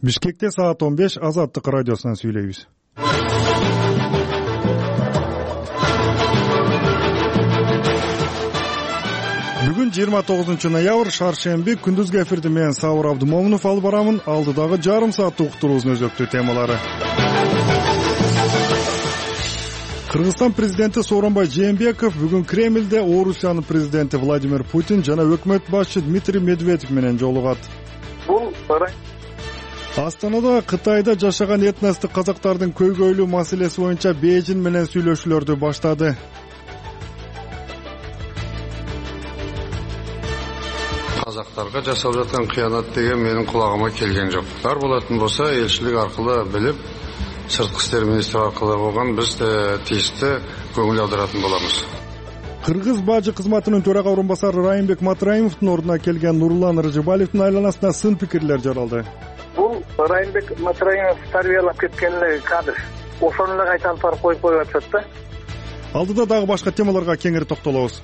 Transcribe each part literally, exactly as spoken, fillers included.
Бишкекте саат он беш Азаттык радиосунан сүйлөйбүз. Бүгүн жыйырма тогузунчу ноябрь шаршемби, күндүзгү эфирди менен Сабыр Абдымомунов алып барамын. Алдыдагы жарым сааттык уктуруубуздун өзөктүү темалары. Кыргызстан президенти Сооронбай Жээнбеков бүгүн Кремлде Орусиянын президенти Владимир Путин жана өкмөт башчы Дмитрий Медведев менен жолугат. Бул Астанада Кытайда жашаган этностук казактардын көйгөйлүү маселеси боюнча Бейжин менен сүйлөшүүлөрдү баштады. Казактарга жасалып жаткан кыянат деген менин кулагыма келген жок. Бар болатын болсо элчилик аркылуу билип, сырткы иштер министри аркылуу болгон биз тийиштүү көңүл аударатын болобуз. Кыргыз бажы кызматынын төрага орун басары Райымбек Матраимовдун ордуна келген Нурлан Рыжыбаевдин айланасында сын пикирлер жаралды. Бул Райымбек Матраимов тарбиялап кеткен эле кадр. Ошону эле кайта алып барып коюп коюп атышат да. Алдыда дагы башка темаларга кеңири токтолобуз.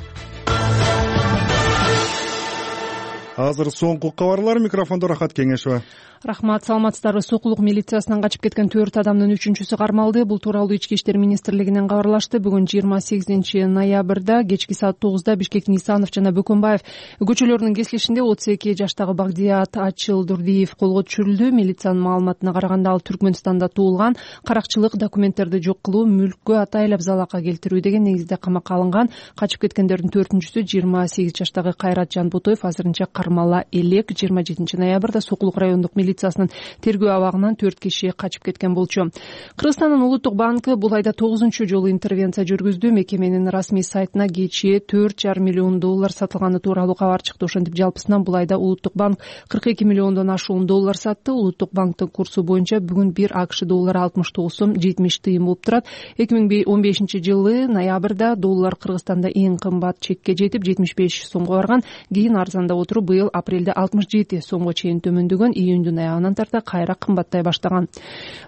Азыр соңку кабарлар, микрофондо Рахат Кеңешова. Рахмат, саламатсыздарбы. Сокулук милициясынан качып кеткен төрт адамдын үчүнчүсү кармалды. Бул тууралуу Ички иштер министрлигинен кабарлашты. Бүгүн жыйырма сегизинчи ноябрда кечки саат тогузда Бишкектин Исанов жана Бөкөнбаев көчөлөрүнүн кесилишинде отуз эки жаштагы Багдият Ачылдурдиев колго түшүрүлдү. Милициянын маалыматына караганда ал Түркмөнстанда туулган, каракчылык документтерди жок кылуу, мүлккө атайлап залака келтирүү деген негизде камакка алынган. Качып кеткендердин төртүнчүсү жыйырма сегиз жаштагы Кайрат Жанбутоев азырынча кармала элек. жыйырма жетинчи ноябрда Сокулук райондук милициясынын тергөө абагынан төрт киши качып кеткен болчу. Кыргызстандын Улуттук банкы бул айда тогузунчу жолу интервенция жүргүздү. Мекеменин расмий сайтына кечээ төрт жарым миллион доллар сатылганы тууралуу кабар чыкты. Ошентип жалпысынан бул айда Улуттук банк кырк эки миллиондон ашуун доллар сатты. Улуттук банктын курсу боюнча бүгүн бир АКШ доллары алтымыш тогуз сом жетимиш тыйын болуп турат. эки миң он бешинчи жылы ноябрда доллар Кыргызстанда эң кымбат чекке жетип жетимиш беш сомго барган. Кийин арзандап отуруп быйыл апрелде алтымыш жети сомго чейин төмөндөгөн. Июндун аягынан тарта кайра кымбаттай баштаган.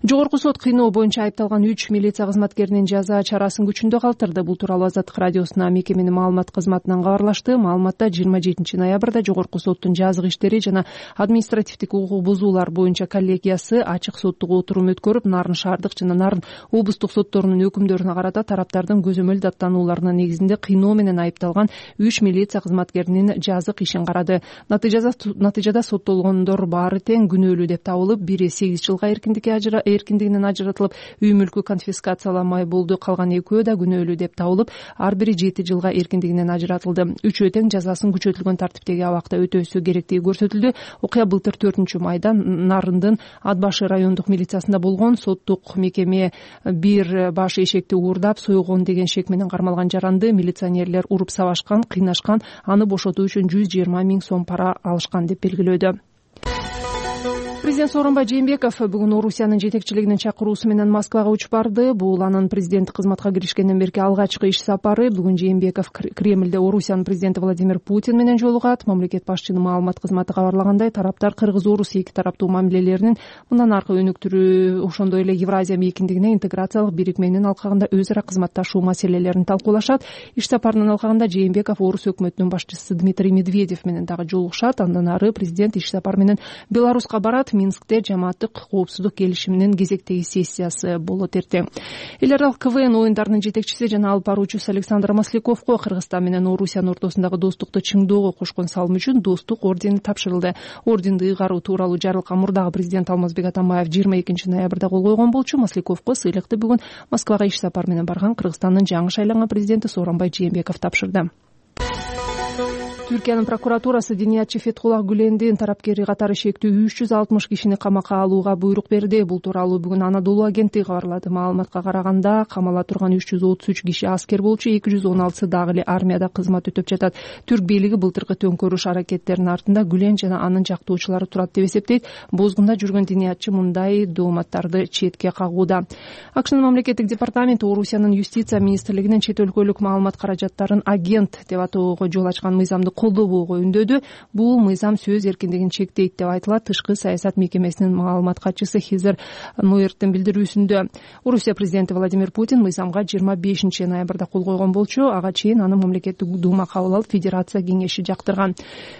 Жогорку сот кыйноо боюнча айыпталган үч милиция кызматкеринин жаза чарасын күчүндө калтырды. Бул тууралуу Азаттык радиосуна мекеменин маалымат кызматынан кабарлашты. Маалыматта жыйырма жетинчи ноябрда Жогорку соттун жазык иштери жана административдик укук бузуулар боюнча коллегиясы ачык соттук отурум өткөрүп, Нарын шаардык жана Нарын облустук сотторунун өкүмдөрүнө карата тараптардын көзөмөл даттанууларынын негизинде кыйноо менен айыпталган үч милиция кызматкеринин жазык ишин карады. Натыйжада соттолгондор баары тең күнөөлүү деп табылып, бири сегиз жылга эркиндигинен ажыратылып, үй мүлкү конфискацияланмай болду. Калган экөө да күнөөлүү деп табылып, ар бири жети жылга эркиндигинен ажыратылды. Үчөө тең жазасын күчөтүлгөн тартиптеги абакта өтөөсү керектиги көрсөтүлдү. Окуя былтыр төртүнчү майда Нарындын Ат башы райондук милициясында болгон. Соттук мекеме бир баш эшекти уурдап сойгон деген шек менен кармалган жаранды милиционерлер уруп сабашкан, кыйнашкан, аны бошотуу үчүн жүз жыйырма миң сом пара алышкан деп белгилөөдө. Президент Сооронбай Жээнбеков бүгүн Орусиянын жетекчилигинин чакыруусу менен Москвага учуп барды. Бул анын президенттик кызматка киришкенден берки алгачкы иш сапары. Бүгүн Жээнбеков Кремлде Орусиянын президенти Владимир Путин менен жолугат. Мамлекет башчынын маалымат кызматы кабарлагандай, тараптар Кыргыз-Орус эки тараптуу мамилелеринин мындан аркы өнүктүрүү, ошондой эле Евразия мейкиндигине интеграциялык бирикменин алкагында өз ара кызматташуу маселелерин талкуулашат. Иш сапарынын алкагында Жээнбеков Орус өкмөтүнүн башчысы Дмитрий Медведев менен дагы жолугушат. Андан ары президент иш сапар менен Беларуска барат. Минскте жамааттык коопсуздук келишиминин кезектеги сессиясы болот эртең. Эл аралык КВН оюндарынын жетекчиси жана алып баруучусу Александр Масляковго Кыргызстан менен Орусиянын ортосундагы достукту чыңдоого кошкон салымы үчүн достук ордени тапшырылды. Орденди ыйгаруу тууралуу жарлыкка мурдагы президент Алмазбек Атамбаев жыйырма экинчи ноябрда кол койгон болчу. Масляковго сыйлыкты бүгүн Москвага иш сапар менен барган Кыргызстандын жаңы шайланган президенти Сооронбай Жээнбеков тапшырды. Түркиянын прокуратурасы Диниятчы Фетхуллах Гүлендин тарапкери катары шектүү үч жүз алтымыш кишини камакка алууга буйрук берди. Бул тууралуу бүгүн Анадолу агенттиги кабарлады. Маалыматка караганда, камала турган үч жүз отуз үч киши аскер болчу, эки жүз он алтысы дагы эле армияда кызмат өтөп жатат. Түрк бийлиги былтыркы төңкөрүш аракеттеринин артында Гүлен жана анын жактоочулары турат деп эсептейт. Бозгунда жүргөн Диниятчы мындай дооматтарды четке кагууда. АКШнын мамлекеттик департаменти Орусиянын юстиция министрлигинин чет өлкөлүк маалымат каражаттарын агент деп атоого жол ачкан мыйзамдык колдобоого үндөдү. Бул мыйзам сөз эркиндигин чектейт деп айтылат Тышкы саясат мекемесинин маалымат катчысы Хизер Нойерттин билдирүүсүндө. Орусия президенти Владимир Путин мыйзамга жыйырма бешинчи ноябрда кол койгон болчу. Ага чейин аны мамлекеттик дума кабыл алып, Федерация кеңеши жактырган.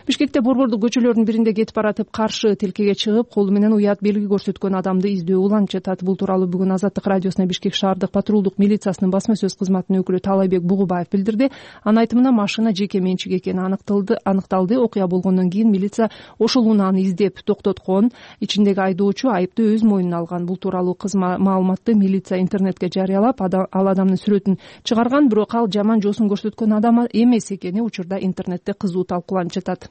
Бишкекте борбордук көчөлөрдүн биринде кетип баратып каршы тилкеге чыгып, колу менен уят белги көрсөткөн адамды издөө уланып жатат. Бул тууралуу бүгүн Азаттык радиосуна Бишкек шаардык патрулдук милициясынын басма сөз кызматынын өкүлү Таалайбек Бугубаев билдирди. Анын айтымында машина жеке менчик экени аныкталды. Аныкталды. Окуя болгондон кийин милиция ошол унааны издеп токтоткон. Ичиндеги айдоочу айыпты өз мойнуна алган. Бул тууралуу маалыматты милиция интернетке жарыялап, ал адамдын сүрөтүн чыгарган, бирок ал жаман жосун көрсөткөн адам эмес экени учурда интернетте кызуу талкууланып жатат.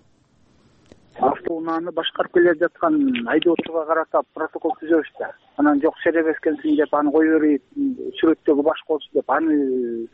Автоунааны башкарып келе жаткан айдоочуга карата протокол түзөбүз да. Анан жок серебес экенсиң деп аны кой берип, сүрөттөгү башка болсун деп аны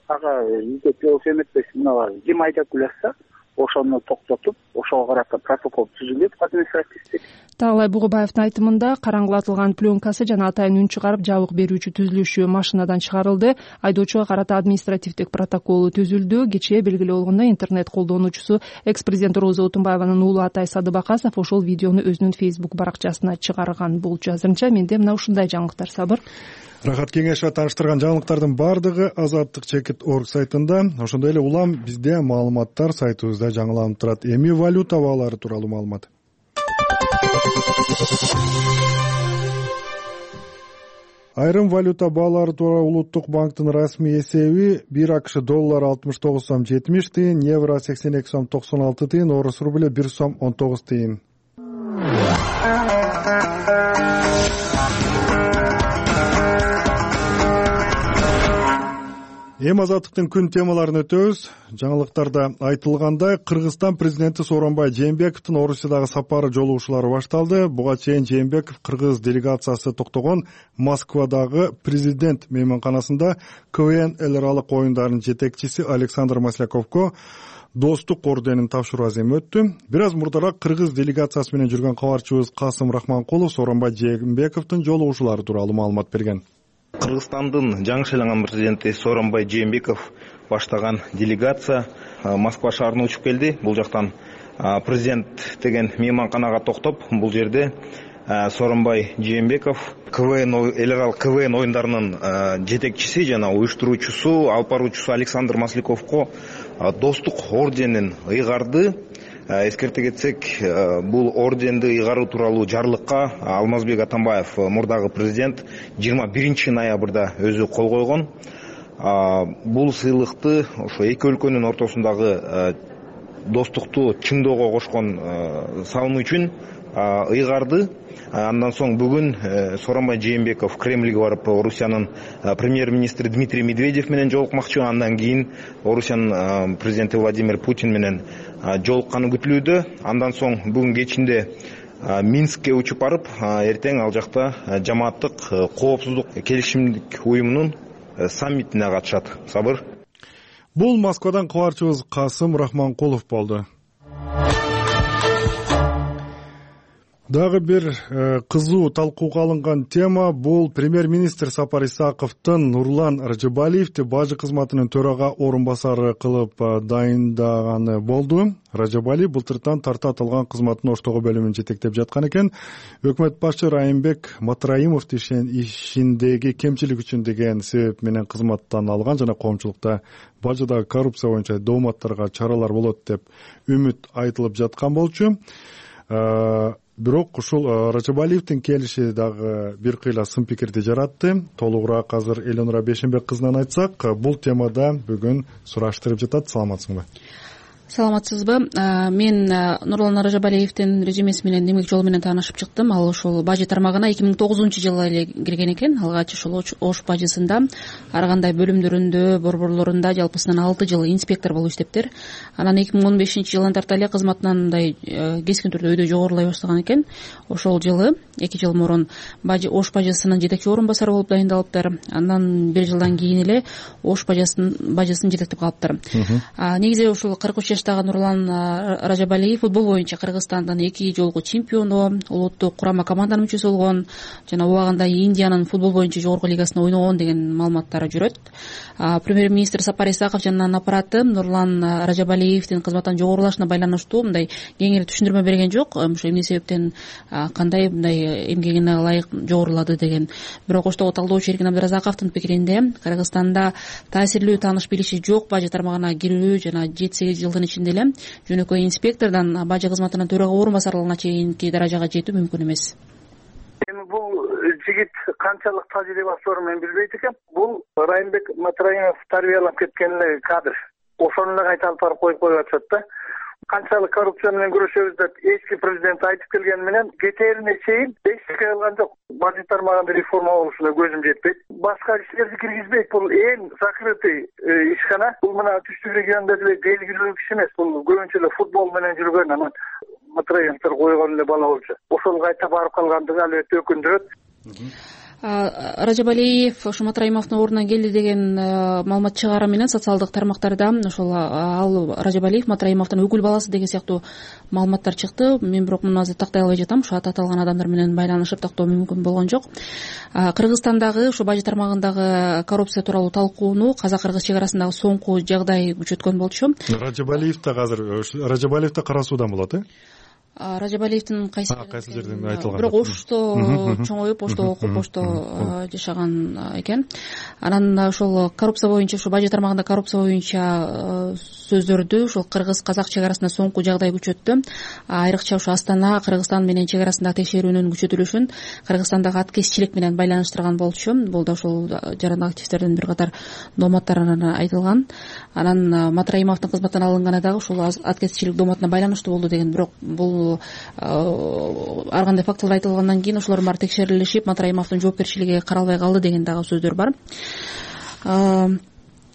ага издеп жооп эметпейсиң. Мына ким айдап келатса, ошону токтотуп, ошого карата протокол түзүлөт административдик. Таалай Бугубаевдин айтымында караңгылатылган пленкасы жана атайын үн чыгарып жабык берүүчү түзүлүшү машинадан чыгарылды. Айдоочуга карата административдик протоколу түзүлдү. Кечээ белгилүү болгондой интернет колдонуучусу экс-президент Роза Отунбаеванын уулу Атай Садыбакасов ошол видеону өзүнүн Facebook баракчасына чыгарган болчу. Азырынча менде мына ушундай жаңылыктар. Сабыр. Рахат Кеңешова тааныштырган жаңылыктардын баардыгы Азаттык чекит орг сайтында, ошондой эле улам бизде маалыматтар сайтыбызда жаңыланып турат. Эми валюта баалары тууралуу маалымат. Айрым валюта баалары тууралуу Улуттук банктын расмий эсеби бир АКШ доллары алтымыш тогуз сом жетимиш тыйын, евро сексен эки сом токсон алты тыйын, орус рубль бир сом он тогуз тыйын. Эми Азаттыктын күн темаларын өтөбүз. Жаңылыктарда айтылгандай, Кыргызстан президенти Сооронбай Жээнбековдун Орусиядагы сапары жолугушуулары башталды. Буга чейин Жээнбеков кыргыз делегациясы токтогон Москвадагы президент мейманканасында КВН эл аралык оюндарынын жетекчиси Александр Масляковго достук орденин тапшыруу аземи өттү. Бир аз мурдараак кыргыз делегациясы менен жүргөн кабарчыбыз Касым Рахманкулов Сооронбай Жээнбековдун жолугушуулары тууралуу маалымат берген. Кыргызстандын жаңы шайланган президенти Сооронбай Жээнбеков баштаган делегация Москва шаарына учуп келди. Бул жактан президент деген мейманканага токтоп, бул жерде Сооронбай Жээнбеков КВН эл аралык КВН оюндарынын жетекчиси жана уюштуруучусу, алып баруучусу Александр Масляковго достук орденин ыйгарды. Эскерте кетсек, бул орденди ыйгаруу тууралуу жарлыкка Алмазбек Атамбаев, мурдагы президент, жыйырма биринчи ноябрда өзү кол койгон. Бул сыйлыкты ошо эки өлкөнүн ортосундагы достукту чыңдоого кошкон салымы үчүн ыйгарды. Андан соң бүгүн Сооронбай Жээнбеков Кремльге барып, Орусиянын премьер-министри Дмитрий Медведев менен жолукмакчы. Андан кийин Орусиянын президенти Владимир Путин менен жолукканы күтүлүүдө. Андан соң бүгүн кечинде Минскке учуп барып, эртең ал жакта жамааттык коопсуздук келишимдик уюмунун саммитине катышат. Сабыр. Бул Москвадан кабарчыбыз Касым Рахманкулов болду. Дагы бир кызуу талкууга алынган тема бул премьер-министр Сапар Исаковдун Нурлан Ражабалиевди бажы кызматынын төрага орун басары кылып дайындаганы болду. Ражабалиев былтыртан тартат алган кызматтын оштогу бөлүмүн жетектеп жаткан экен. Өкмөт башчы Райымбек Матраимов ишиндеги кемчилик үчүн деген себеп менен кызматтан алган жана коомчулукта бажыдагы коррупция боюнча дооматтарга чаралар болот деп үмүт айтылып жаткан болчу. Бирок ушул Ражабалиевдин келиши дагы бир кыйла сын пикирди жаратты. Толугураак азыр Элонура Бешенбек кызынан айтсак, бул темада бүгүн сураштырып жатат. Саламатсыңбы? Саламатсызбы? Мен Нурлан Ражабалиевдин резюмеси менен демек жолу менен таанышып чыктым. Ал ошол бажы тармагына эки миң тогузунчу жылы эле кирген экен. Алгач ошол Ош бажысында ар кандай бөлүмдөрүндө, борборлорунда жалпысынан алты жыл инспектор болуп иштептир. Анан эки миң он бешинчи жылдан тарта эле кызматынан мындай кескин түрдө өйдө жогорулай баштаган экен. Ошол жылы эки жыл мурун бажы Ош бажысынын жетекчи орун басары болуп дайындалыптыр. Андан бир жылдан кийин эле Ош бажысынын бажысын жетектеп калыптыр. Негизи ушул кырк үч жаштагы Нурлан Ражабалиев футбол боюнча Кыргызстандын эки жолку чемпиону, улуттук курама команданын мүчөсү болгон жана убагында Индиянын футбол боюнча жогорку лигасында ойногон деген маалыматтар жүрөт. Премьер-министр Сапар Исаков жана анын аппараты Нурлан Ражабалиевдин кызматтан жогорулашына байланыштуу мындай кеңири түшүндүрмө берген жок. Ошо эмне себептен кандай мындай эмгегине ылайык жогорулады деген. Бирок оштогу талдоочу Эркин Абдыразаковдун пикиринде Кыргызстанда таасирлүү тааныш билиши жок бажы тармагына кирүү жана жети сегиз жылдын ичинде эле жөнөкөй инспектордон бажы кызматынын төрага орун басарлыгына чейинки даражага жетүү мүмкүн эмес. Эми бул жигит канчалык тажрыйбасы бар мен билбейт экем. Бул Райымбек Матраимов тарбиялап кеткен эле кадр. Ошону эле кайта алып барып коюп коюп атышат да. Канчалык коррупция менен күрөшөбүз деп эски президент айтып келгени менен кетерине чейин эчтеке кылган жок. Бажы тармагында реформа болушуна көзүм жетпейт. Башка иштерди киргизбейт. Бул эң закрытый ишкана. Бул мына түштүк региондо деле белгилүү киши эмес. Бул көбүнчө эле футбол менен жүргөн анан Матраимовдор койгон эле бала болчу. Ошол кайта барып калгандыгы албетте өкүндүрөт. Ражабалиев ошо Матраимовдун ордуна келди деген маалымат чыгаары менен социалдык тармактарда ошол ал Ражабалиев Матраимовдун өкүл баласы деген сыяктуу маалыматтар чыкты. Мен бирок муну азыр тактай албай жатам. Ошо аты аталган адамдар менен байланышып тактоо мүмкүн болгон жок. Кыргызстандагы ошо бажы тармагындагы коррупция тууралуу талкууну казак-кыргыз чек арасындагы соңку жагдай күчөткөн болчу. Ражабалиев да азыр Ражабалиев да кара суудан болот, э? Ражабалиевдин кайсы кайсы жерден айтылган. Бирок Ошто чоңоюп, Ошто окуп, Ошто жашаган экен. Анан ошол коррупция боюнча, ошо бажы тармагында коррупция боюнча сөздөрдү ошол кыргыз-казак чек арасында соңку жагдай күчөттү. Айрыкча ошо Астана, Кыргызстан менен чек арасындагы текшерүүнүн күчөтүлүшүн Кыргызстандагы аткезчилик менен байланыштырган болчу. Бул да ошол жарандык активисттердин бир катар дооматтарына айтылган. Анан Матраимовдун кызматтан алынганы дагы ошол аткезчилик дооматына байланыштуу болду деген. Бирок бул ар кандай фактылар айтылгандан кийин ошолор баары текшерилишип Матраимовдун жоопкерчилиги каралбай калды деген дагы сөздөр бар.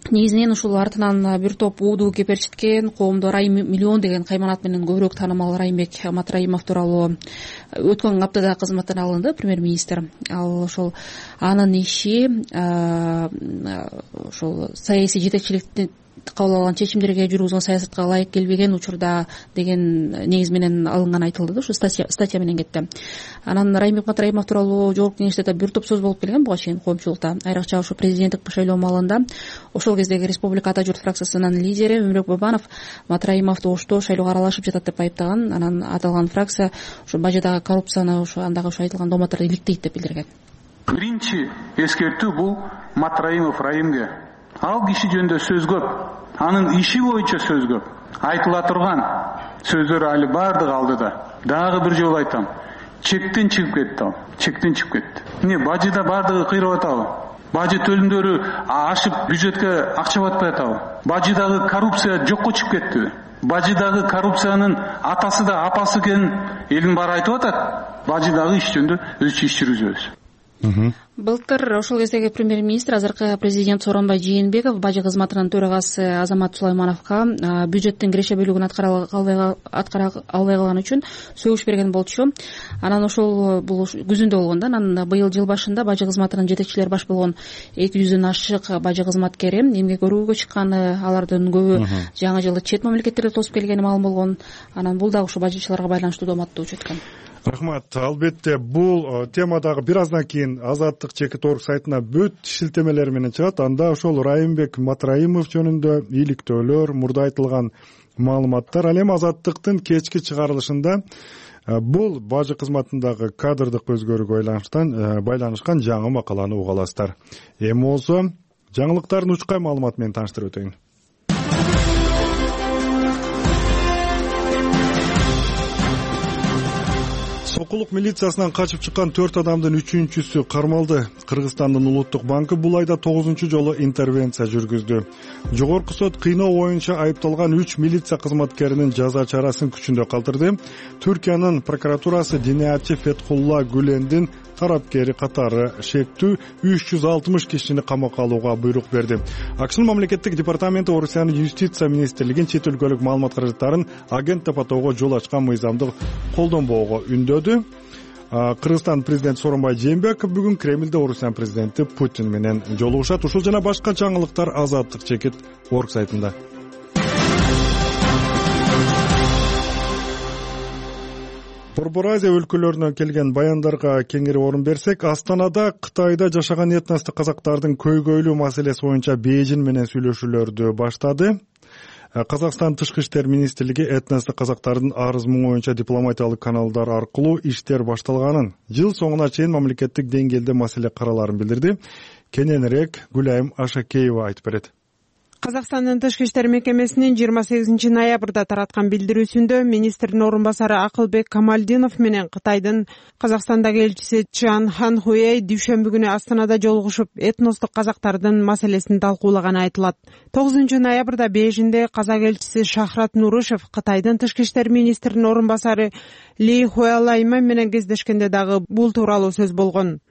Негизинен ушул артынан бир топ ууду кеперчиткен коомдо Райым миллион деген кайманат менен көбүрөөк таанымал Райымбек Матраимов тууралуу өткөн аптада кызматтан алынды премьер-министр. Ал ошол анын иши ошол саясий жетекчиликти кабыл алган чечимдерге жүргүзгөн саясатка ылайык келбеген учурда деген негиз менен алынганы айтылды да, ушу статья менен кетти. Анан Райымбек Матраимов тууралуу жогорку кеңеште да бир топ сөз болуп келген буга чейин коомчулукта. Айрыкча ошо президенттик шайлоо маалында ошол кездеги Республика Ата журт фракциясынын лидери Өмүрөк Бабанов Матраимовду Ошто шайлоого аралашып жатат деп айыптаган. Анан аталган фракция ошо бажыдагы коррупцияны ошо андагы ошо айтылган дооматтарды иликтейт деп билдирген. Биринчи эскертүү бул Матраимов Райымге. Ал киши жөнүндө сөз көп, анын иши боюнча сөз көп. Айтыла турган сөздөр али бардыгы алдыда. Дагы бир жолу айтам. Чектен чыгып кетти ал. Чектен чыгып кетти. Эмне бажыда бардыгы кыйрап атабы? Бажы төлүмдөрү ашып бюджетке акча батпай атабы? Бажыдагы коррупция жокко чыгып кеттиби? Бажыдагы коррупциянын атасы да апасы экенин элдин баары айтып атат. Бажыдагы иш жөнүндө өзүчө иш жүргүзөбүз. Былтыр ошол кездеги премьер-министр азыркы президент Сооронбай Жээнбеков бажы кызматынын төрагасы Азамат Сулаймановго бюджеттин киреше бөлүгүн аткара албай калган үчүн сөгүш берген болчу. Анан ошол бул күзүндө болгон да. Анан быйыл жыл башында бажы кызматынын жетекчилери баш болгон эки жүздөн ашык бажы кызматкери эмгек өрүүгө чыкканы, алардын көбү жаңы жылды чет мамлекеттерде тосуп келгени маалым болгон. Анан бул дагы ушу бажычыларга байланыштуу дооматты өчөткөн. Рахмат. Албетте бул темадагы бир аздан кийин Азаттык чекит орг сайтына бүт шилтемелер менен чыгат. Анда ошол Райымбек Матраимов жөнүндө иликтөөлөр, мурда айтылган маалыматтар. Ал эми Азаттыктын кечки чыгарылышында бул бажы кызматындагы кадрдык өзгөрүүгө байланышкан жаңы макаланы уга аласыздар. Эми болсо жаңылыктардын учкай маалыматы менен тааныштырып өтөйүн. Сокулук милициясынан качып чыккан төрт адамдын үчүнчүсү кармалды. Кыргызстандын улуттук банкы бул айда тогузунчу жолу интервенция жүргүздү. Жогорку сот кыйноо боюнча айыпталган үч милиция кызматкеринин жаза чарасын күчүндө калтырды. Түркиянын прокуратурасы диниятчы Фетхулла Гүлендин тарапкери катары шектүү үч жүз алтымыш кишини камакка алууга буйрук берди. АКШнын мамлекеттик департаменти Орусиянын юстиция министрлигин чет өлкөлүк маалымат каражаттарын агент деп атоого жол ачкан мыйзамды колдонбоого үндөдү. Кыргызстан президенти Сооронбай Жээнбеков бүгүн Кремлде Орусиян президенти Путин менен жолугушат. Ушул жана башка жаңылыктар Азаттык чекит орг сайтында. Борбор Азия өлкөлөрүнөн келген баяндарга кеңири орун берсек, Астанада Кытайда жашаган этностук казактардын көйгөйлүү маселеси боюнча Бейжин менен сүйлөшүүлөрдү баштады. Казакстан Тышкы иштер министрлиги этностук казактардын арыз муңу боюнча дипломатиялык каналдар аркылуу иштер башталганын, жыл соңуна чейин мамлекеттик деңгээлде маселе караларын билдирди. Кененирээк Гүлайым Ашакеева айтып берет. Казакстандын Тышкы иштер мекемесинин жыйырма сегизинчи ноябрда тараткан билдирүүсүндө министрдин орун басары Акылбек Камалдинов менен Кытайдын Казакстандагы элчиси Чжан Ханхуэй дүйшөмбү күнү Астанада жолугушуп, этностук казактардын маселесин талкуулаганы айтылат. тогузунчу ноябрда Бейжинде казак элчиси Шахрат Нурышев Кытайдын Тышкы иштер министринин орун басары Ли Хуэлайман менен кездешкенде дагы бул тууралуу сөз болгон.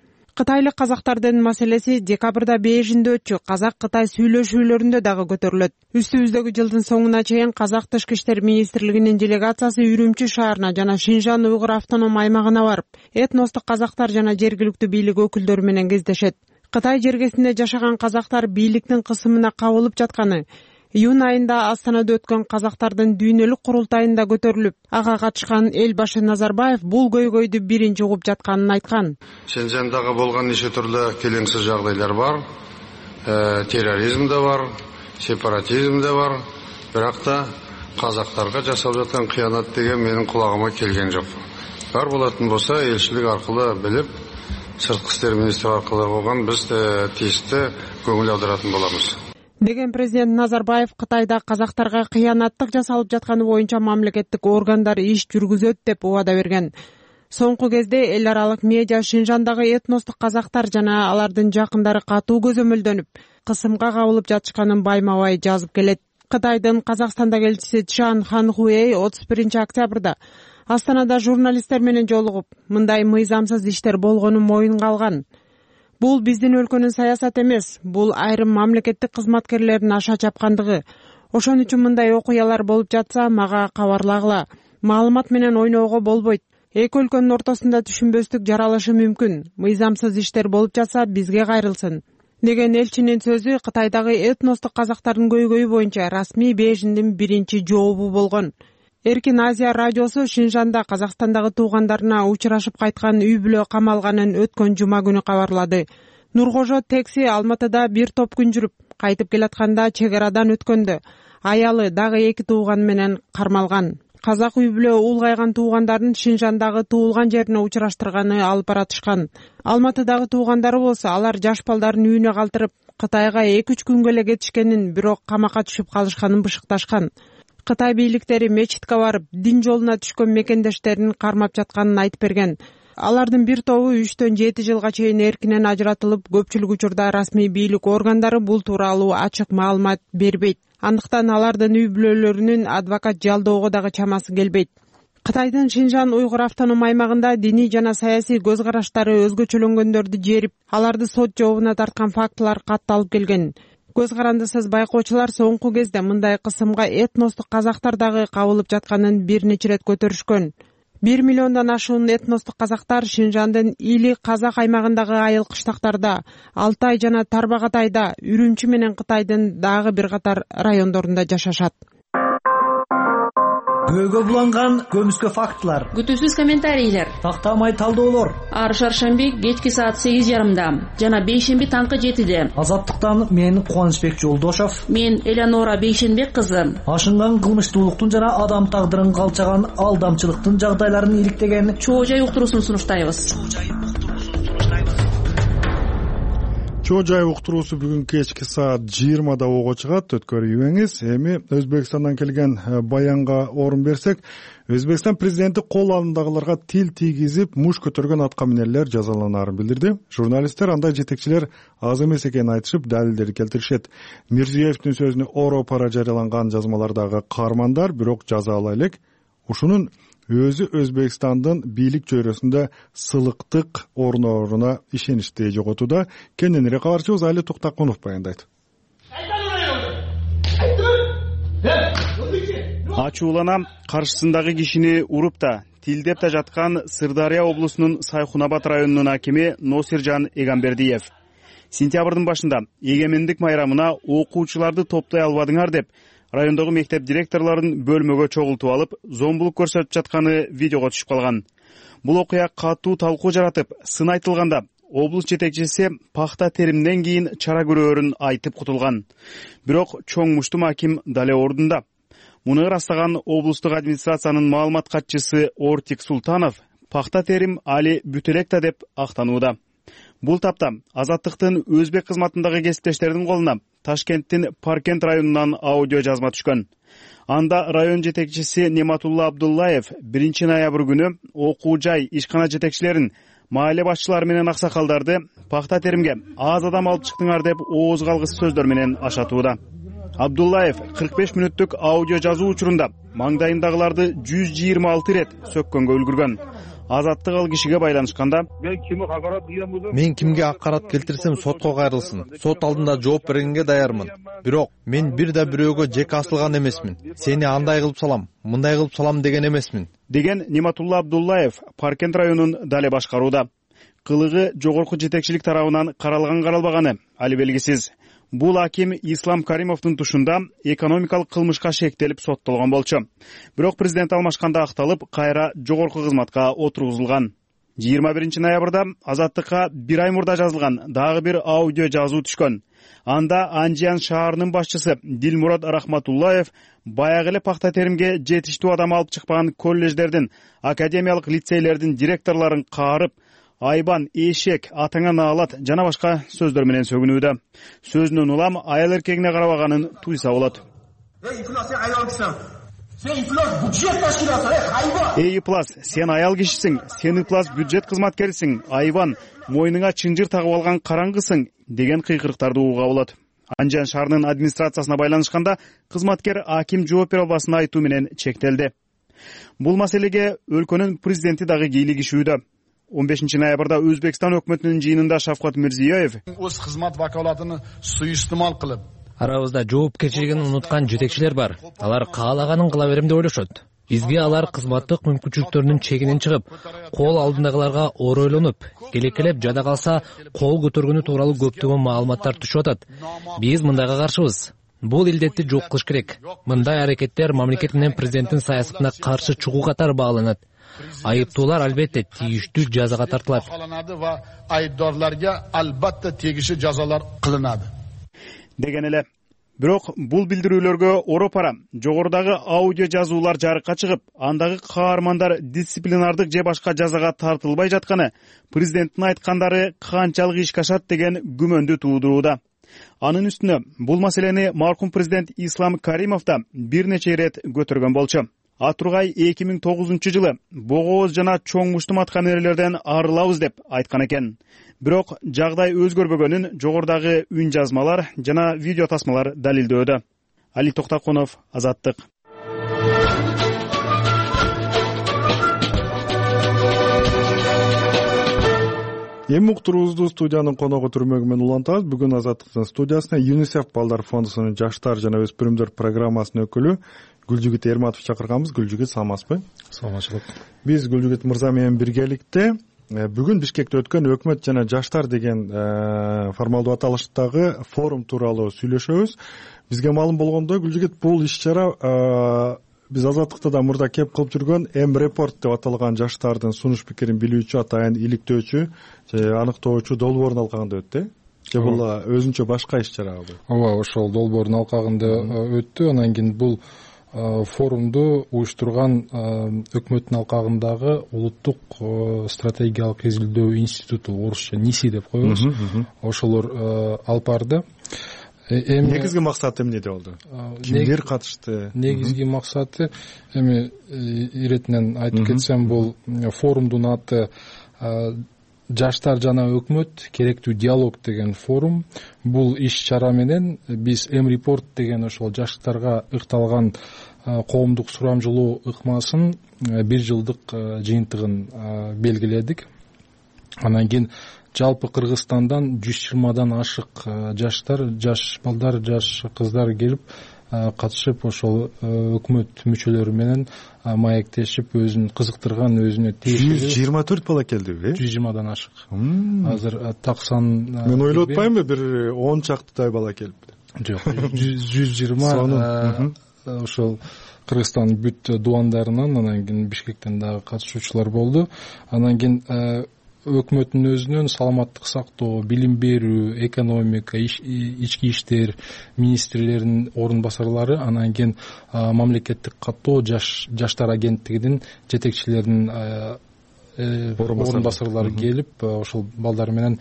Кытайлык казактардын маселеси декабрда Бейжинде өтчү казак-кытай сүйлөшүүлөрүндө дагы көтөрүлөт. Үстүбүздөгү жылдын соңуна чейин Казак Тышкы иштер министрлигинин делегациясы Үрүмчү шаарына жана Шинжан уйгур автоном аймагына барып, этностук казактар жана жергиликтүү бийлик өкүлдөрү менен кездешет. Кытай жергесинде жашаган казактар бийликтин кысымына кабылып жатканы июнь айында Астанада өткөн казактардын дүйнөлүк курултайында көтөрүлүп, ага катышкан эл башы Назарбаев бул көйгөйдү биринчи угуп жатканын айткан. Шинжандагы болгон нече түрлүү келеңсиз жагдайлар бар. Э, терроризм да бар, сепаратизм да бар. Бирок да казактарга жасалып жаткан кыянат деген менин кулагыма келген жок. Бар болатын болса, элчилик аркылуу билип, сырткы иштер министри аркылуу болгон биз тийиштүү көңүл аударатын болобуз деген президент Назарбаев Кытайда казактарга кыянаттык жасалып жатканы боюнча мамлекеттик органдар иш жүргүзөт деп убада берген. Соңку кезде эл аралык медиа Шинжандагы этностук казактар жана алардын жакындары катуу көзөмөлдөнүп, кысымга кабылып жатышканын байма-бай жазып келет. Кытайдын Казакстандагы элчиси Чжан Ханхуэй отуз биринчи октябрда Астанада журналисттер менен жолугуп, мындай мыйзамсыз иштер болгонун моюнга алган. Бул биздин өлкөнүн саясаты эмес, бул айрым мамлекеттик кызматкерлердин аша чапкандыгы. Ошон үчүн мындай окуялар болуп жатса, мага кабарлагыла. Маалымат менен ойноого болбойт. Эки өлкөнүн ортосунда түшүнбөстүк жаралышы мүмкүн. Мыйзамсыз иштер болуп жатса, бизге кайрылсын деген элчинин сөзү Кытайдагы этностук казактардын көйгөйү боюнча расмий Бейжиндин биринчи жообу болгон. Эркин Азия радиосу Шинжанда Казакстандагы туугандарына учурашып кайткан үй бүлө камалганын өткөн жума күнү кабарлады. Нуркожо Текси Алматыда бир топ күн жүрүп, кайтып келатканда чек арадан өткөндө аялы дагы эки тууган менен кармалган. Казак үй бүлө улгайган туугандарын Шинжандагы туулган жерине учураштырганы алып баратышкан. Алматыдагы туугандары болсо алар жаш балдарын үйүнө калтырып, Кытайга эки үч күнгө эле кетишкенин, бирок камакка түшүп калышканын бышыкташкан. Кытай бийликтери мечитке барып, дин жолуна түшкөн мекендештерин кармап жатканын айтып берген. Алардын бир тобу үчтөн жети жылга чейин эркинен ажыратылып, көпчүлүк учурда расмий бийлик органдары бул тууралуу ачык маалымат бербейт. Андыктан алардын үй бүлөлөрүнүн адвокат жалдоого дагы чамасы келбейт. Кытайдын Шинжан уйгур автоном аймагында диний жана саясий көз караштары өзгөчөлөнгөндөрдү жерип, аларды сот жообуна тарткан фактылар катталып келген. Көз карандысыз байкоочулар соңку кезде мындай кысымга этностук казактар дагы кабылып жатканын бир нече ирет көтөрүшкөн. бир миллиондон ашуун этностук казактар Шинжандын Или казак аймагындагы айыл кыштактарда, Алтай жана Тарбагатайда, Үрүмчү менен Кытайдын дагы бир катар райондорунда жашашат. Күбөгө буланган көмүскө фактылар, күтүүсүз комментарийлер, тактамай талдоолор. Ар шаршемби кечки саат сегиз жарымда жана бейшемби таңкы жетиде. Азаттыктан мен Кубанычбек Жолдошов, мен Элеонора Бейшенбек кызы. Ашынган кылмыштуулуктун жана адам тагдырын калчаган алдамчылыктын жагдайларын иликтеген чоо жай уктуруусун сунуштайбыз. Чоо жай уктуруусу бүгүн кечки саат жыйырмада ого чыгат, өткөрүбөңүз. Эми Өзбекстандан келген баянга орун берсек, Өзбекстан президенти кол алдындагыларга тил тийгизип, муш көтөргөн аткаминерлер жазаланаарын билдирди. Журналисттер андай жетекчилер аз эмес экенин айтышып, далилдерди келтиришет. Мирзиевдин сөзүнө oro para жарыяланган жазмалардагы каармандар бирок жазалай элек. Ушунун өзү Өзбекстандын бийлик чөйрөсүндө сылыктык орнооруна ишеничти жоготууда. Кененирээк кабарчыбыз Али Токтакунов баяндайт. Ачууланам, каршысындагы кишини уруп да, тилдеп да жаткан Сырдария облусунун Сайхунабад районунун акими Носиржан Эгамбердиев. Сентябрдын башында эгемендик майрамына окуучуларды топтой албадыңар деп, райондогу мектеп директорлорун бөлмөгө чогултуп алып, зомбулук көрсөтүп жатканы видеого түшүп калган. Бул окуя катуу талкуу жаратып, сын айтылганда облус жетекчиси пахта теримден кийин чара көрөөрүн айтып кутулган. Бирок чоң муштум аким дале ордунда. Муну ырастаган облустук администрациянын маалымат катчысы Ортик Султанов пахта терим али бүтө элек да деп актанууда. Бул тапта Азаттыктын өзбек кызматындагы кесиптештердин колуна Ташкенттин Паркент районунан аудио жазма түшкөн. Анда район жетекчиси Нематулла Абдуллаев биринчи ноябрь күнү окуу жай, ишкана жетекчилерин, маале башчылары менен аксакалдарды пахта теримге аз адам алып чыктыңар деп ооз калгыс сөздөр менен ашатууда. Абдуллаев кырк беш мүнөттүк аудио жазуу учурунда маңдайындагыларды жүз жыйырма алты ирет сөккөнгө үлгүргөн. Азаттык ал кишиге байланышканда: мен кимге акарат келтирсем сотко кайрылсын, сот алдында жооп бергенге даярмын. Бирок мен бир да бирөөгө жеке асылган эмесмин. Сени андай кылып салам, мындай кылып салам деген эмесмин, деген Нематулла Абдуллаев Паркент районун дале башкарууда. Кылыгы жогорку жетекчилик тарабынан каралган каралбаганы али белгисиз. Бул аким Ислам Каримовдун тушунда экономикалык кылмышка шектелип соттолгон болчу. Бирок президент алмашканда акталып, кайра жогорку кызматка отургузулган. жыйырма биринчи ноябрда Азаттыкка бир ай мурда жазылган дагы бир аудио жазуу түшкөн. Анда Анжиян шаарынын башчысы Дилмурод Рахматуллаев баягы эле пахта теримге жетиштүү адам алып чыкпаган коллеждердин, академиялык лицейлердин директорлорун каарып, айбан, эшек, атаңа наалат жана башка сөздөр менен сөгүнүүдө. Сөзүнөн улам аял эркегине карабаганын туйса болот. Эй Иплас, сен аял кишисиң, сен Иплас бюджет кызматкерисиң, айбан, мойнуңа чынжыр тагып алган караңгысың деген кыйкырыктарды угууга болот. Анжан шаарынын администрациясына байланышканда кызматкер аким жооп бере албасын айтуу менен чектелди. Бул маселеге өлкөнүн президенти дагы кийлигишүүдө. он бешинчи ноябрда Өзбекстан өкмөтүнүн жыйынында Шавкат Мирзиёев өз кызмат вакалатын суюстумал кылып, арабызда жоопкерчилигин унуткан жетекчилер бар. Алар каалаганын кыла берем деп ойлошот. Бизге алар кызматтык мүмкүнчүлүктөрүнүн чегинен чыгып, кол алдындагыларга оройлонуп, келекелеп жада калса кол көтөргөнү тууралуу көптөгөн маалыматтар түшүп атат. Биз мындайга каршыбыз. Бул илдетти жок кылыш керек. Мындай аракеттер мамлекет менен президенттин саясатына каршы чыгуу катары бааланат. Айыптуулар албетте тийиштүү жазага тартылат. Айыпдорларга албетте тийиштүү жазалар кылынат. Деген эле. Бирок бул билдирүүлөргө оропара жогорудагы аудио жазуулар жарыкка чыгып, андагы каармандар дисциплинардык же башка жазага тартылбай жатканы президенттин айткандары канчалык ишке ашат деген күмөндү туудурууда. Анын үстүнө бул маселени маркум президент Ислам Каримов да бир нече ирет көтөргөн болчу. Атургай эки миң тогузунчу жылы богооз жана чоң муштум аткан эрелерден арылабыз деп айткан экен. Бирок жагдай өзгөрбөгөнүн жогорудагы үн жазмалар жана видео тасмалар далилдөөдө. Али Токтакунов, Азаттык. Эми уктуруубузду студиянын коногу түрмөгү менен улантабыз. Бүгүн Азаттыктын студиясына ЮНИСЕФ балдар фондунун жаштар жана өспүрүмдөр программасынын өкүлү Гүлжүгүт Эрматов чакырганбыз. Гүлжүгүт, саламатсызбы? Саламатчылык. Биз Гүлжүгүт мырза менен биргеликте бүгүн Бишкекте өткөн өкмөт жана жаштар деген формалдуу аталыштагы форум тууралуу сүйлөшөбүз. Бизге маалым болгондой, Гүлжүгүт, бул иш-чара биз Азаттыкта да мурда кеп кылып жүргөн М репорт деп аталган жаштардын сунуш пикирин билүүчү, атайын иликтөөчү, аныктоочу долбоордун алкагында өттү. Же бул өзүнчө башка иш-чарабы? Ооба, ошол долбоордун алкагында өттү. Анан кийин бул форумду уюштурган өкмөттүн алкагындагы улуттук стратегиялык изилдөө институту, орусча НИСИ деп коебуз. Ошолор алып барды. Негизги максаты эмнеде болду? Кимдер катышты? Негизги максаты, эми иретинен айтып кетсем, бул форумдун аты жаштар жана өкмөт керектүү диалог деген форум. Бул иш-чара менен биз М репорт деген ошол жаштарга ыкталган коомдук сурамжылоо ыкмасын бир жылдык жыйынтыгын белгиледик. Анан кийин жалпы Кыргызстандан жүз жыйырмадан ашык жаштар, жаш балдар, жаш кыздар келип катышып, ошол өкмөт мүчөлөрү менен маектешип, өзүн кызыктырган, өзүнө тиешелүү жүз жыйырма төрт бала келдиби? жүз жыйырмадан ашык. Азыр таксан. Мен ойлоп атпаймынбы, бир он чактыдай бала келиптир. жок жүз жыйырма ошол Кыргызстандын бүт дубандарынан, анан кийин Бишкектен дагы катышуучулар болду. Анан кийин өкмөттүн өзүнөн саламаттык сактоо, билим берүү, экономика, ички иштер министрлеринин орун басарлары, анан кийин мамлекеттик каттоо жаштар агенттигинин жетекчилеринин орун басарлары келип, ошол балдар менен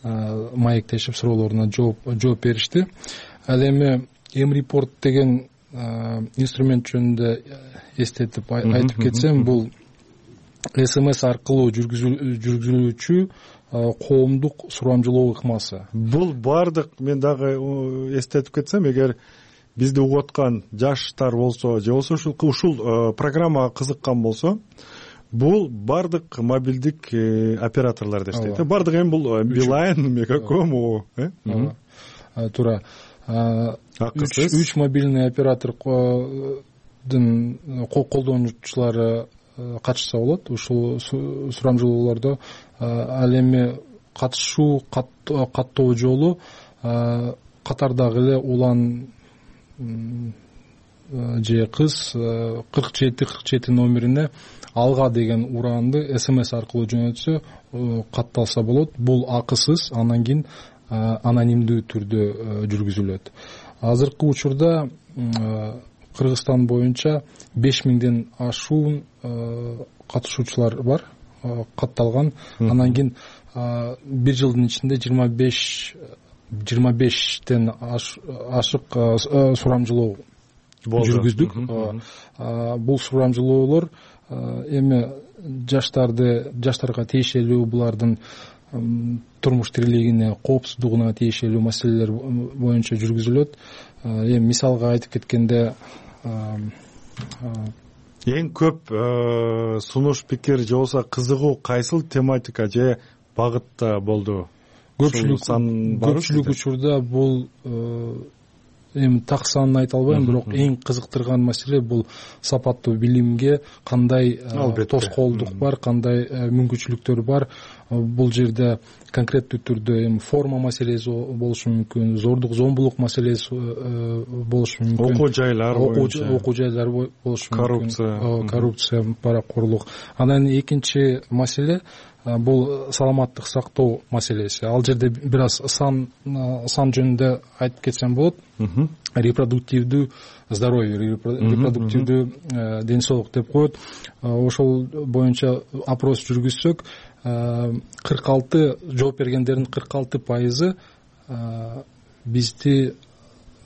маектешип, суроолоруна жооп беришти. Ал эми М-репорт деген инструмент жөнүндө эстетип айтып кетсем, бул СМС аркылуу жүргүзүлүүчү коомдук сурамжылоо ыкмасы. Бул бардык, мен дагы эстетип кетсем, эгер бизди угуп аткан жаштар болсо, же болбосо ушул ушул программага кызыккан болсо, бул бардык мобилдик операторлор дештейт. Бардык эми бул Билайн, Мегаком, э? Туура. Үч мобильный оператордун колдонуучулары катышса болот ушул сурамжылоолордо. Ал эми катышуу каттоо жолу катардагы эле улан же кыз кырк жети кырк жети номерине алга деген ураанды СМС аркылуу жөнөтсө катталса болот. Бул акысыз, анан кийин анонимдүү түрдө жүргүзүлөт. Азыркы учурда Кыргызстан боюнча беш миңден ашуун катышуучулар бар, катталган. Анан кийин бир жылдын ичинде жыйырма беш жыйырма бештен ашык сурамжылоо жүргүздүк. Бул сурамжылоолор эми жаштарды жаштарга тиешелүү, булардын турмуш тирилигине, коопсуздугуна тиешелүү маселелер боюнча жүргүзүлөт. Эми мисалга айтып кеткенде, эң көп сунуш, пикир же болбосо кызыгуу кайсыл тематика же багытта болду? Көпчүлүк учурда бул эми так санын айта албайм, бирок эң кызыктырган маселе бул сапаттуу билимге кандай тоскоолдук бар, кандай мүмкүнчүлүктөр бар. Бул жерде конкреттүү түрдө эми форма маселеси болушу мүмкүн, зордук зомбулук маселеси болушу мүмкүн, окуу жайлар окуу жайлар болушу мүмкүн, коррупция коррупция паракорлук. Анан экинчи маселе бул саламаттык сактоо маселеси. Ал жерде бир аз сан сан жөнүндө айтып кетсем болот. Репродуктивдүү здоровье, репродуктивдүү ден соолук деп коет. Ошол боюнча опрос жүргүзсөк, кырк алты жооп бергендердин кырк алты пайызы бизди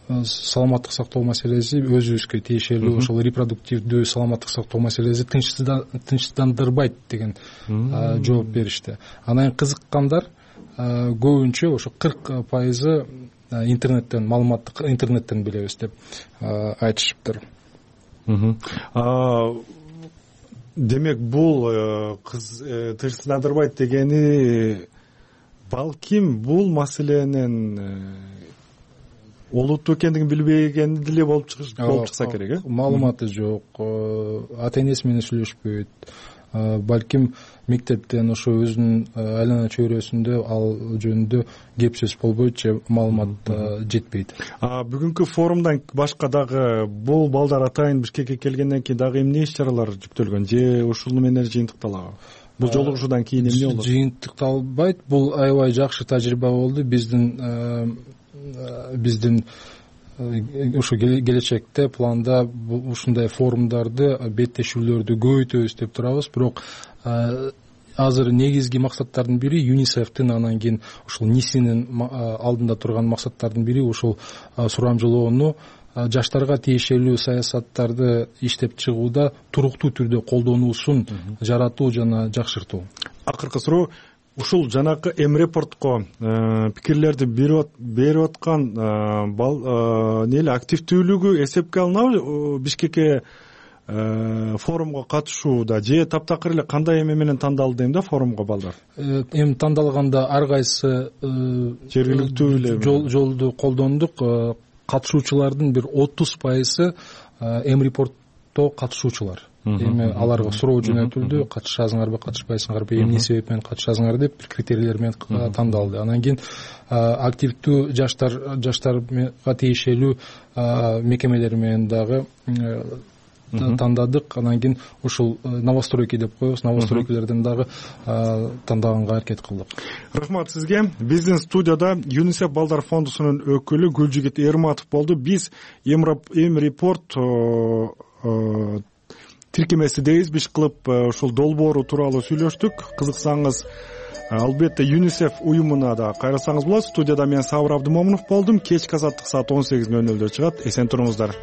саламаттык сактоо маселеси өзүбүзгө тиешелүү, ошол репродуктивдүү саламаттык сактоо маселеси тынчтандырбайт деген жооп беришти. Анан кызыккандар көбүнчө ошо кырк пайызы интернеттен, маалыматтык интернеттен билебиз деп айтышыптыр. Демек бул тынчтандырбайт дегени балким бул маселенин олуттуу экендигин билбегени деле болуп чыкса керек, э? Маалыматы жок, ата энеси менен сүйлөшпөйт. Балким мектептен ошо өзүнүн айлана чөйрөсүндө ал жөнүндө кеп сөз болбойт же маалымат жетпейт. Бүгүнкү форумдан башка дагы бул балдар атайын Бишкекке келгенден кийин дагы эмне иш чаралар жүктөлгөн же ушул менен жыйынтыкталабы? Бул жолугушуудан кийин эмне болот? Жыйынтыкталбайт. Бул аябай жакшы тажрыйба болду. Биздин биздин ошо келечекте планда ушундай форумдарды, беттешүүлөрдү көбөйтөбүз деп турабыз. Бирок азыр негизги максаттардын бири ЮНИСЕФтин, анан кийин ушул НИСинин алдында турган максаттардын бири ушул сурамжылоону жаштарга тиешелүү саясаттарды иштеп чыгууда туруктуу түрдө колдонуусун жаратуу жана жакшыртуу. Акыркы суроо, ушул жанакы М-репортко пикирлерди берип аткан нели активдүүлүгү эсепке алынабы? Бишкекке форумга катышууда же таптакыр эле кандай эме менен тандалды эми да форумга балдар? Эми тандалганда ар кайсы жергиликтүү эле жолду колдондук. Катышуучулардын бир отуз пайызы М-репортто катышуучулар. эми аларга суроо жөнөтүлдү, катышасыңарбы катышпайсыңарбы, эмне себеп менен катышасыңар деп бир критерийлер менен тандалды. Анан кийин активдүү жаштар жаштарга тиешелүү мекемелер менен дагы тандадык. Анан кийин ушул новостройки деп коебуз, новостройкилерден дагы тандаганга аракет кылдык. Рахмат сизге. Биздин студияда ЮНИСЕФ балдар фондусунун өкүлү Гүлжигит Эрматов болду. Биз Эм репорт тиркемесидейбиз, биш кылып ушул долбоору тууралуу сүйлөштүк. Кызыксаңыз, албетте ЮНИСЕФ уюмуна да кайрылсаңыз болот. Студияда мен Сабыр Абдымомунов болдум. Кечки азаттык саат он сегиз нөл нөлдө чыгат. Эсен туруңуздар.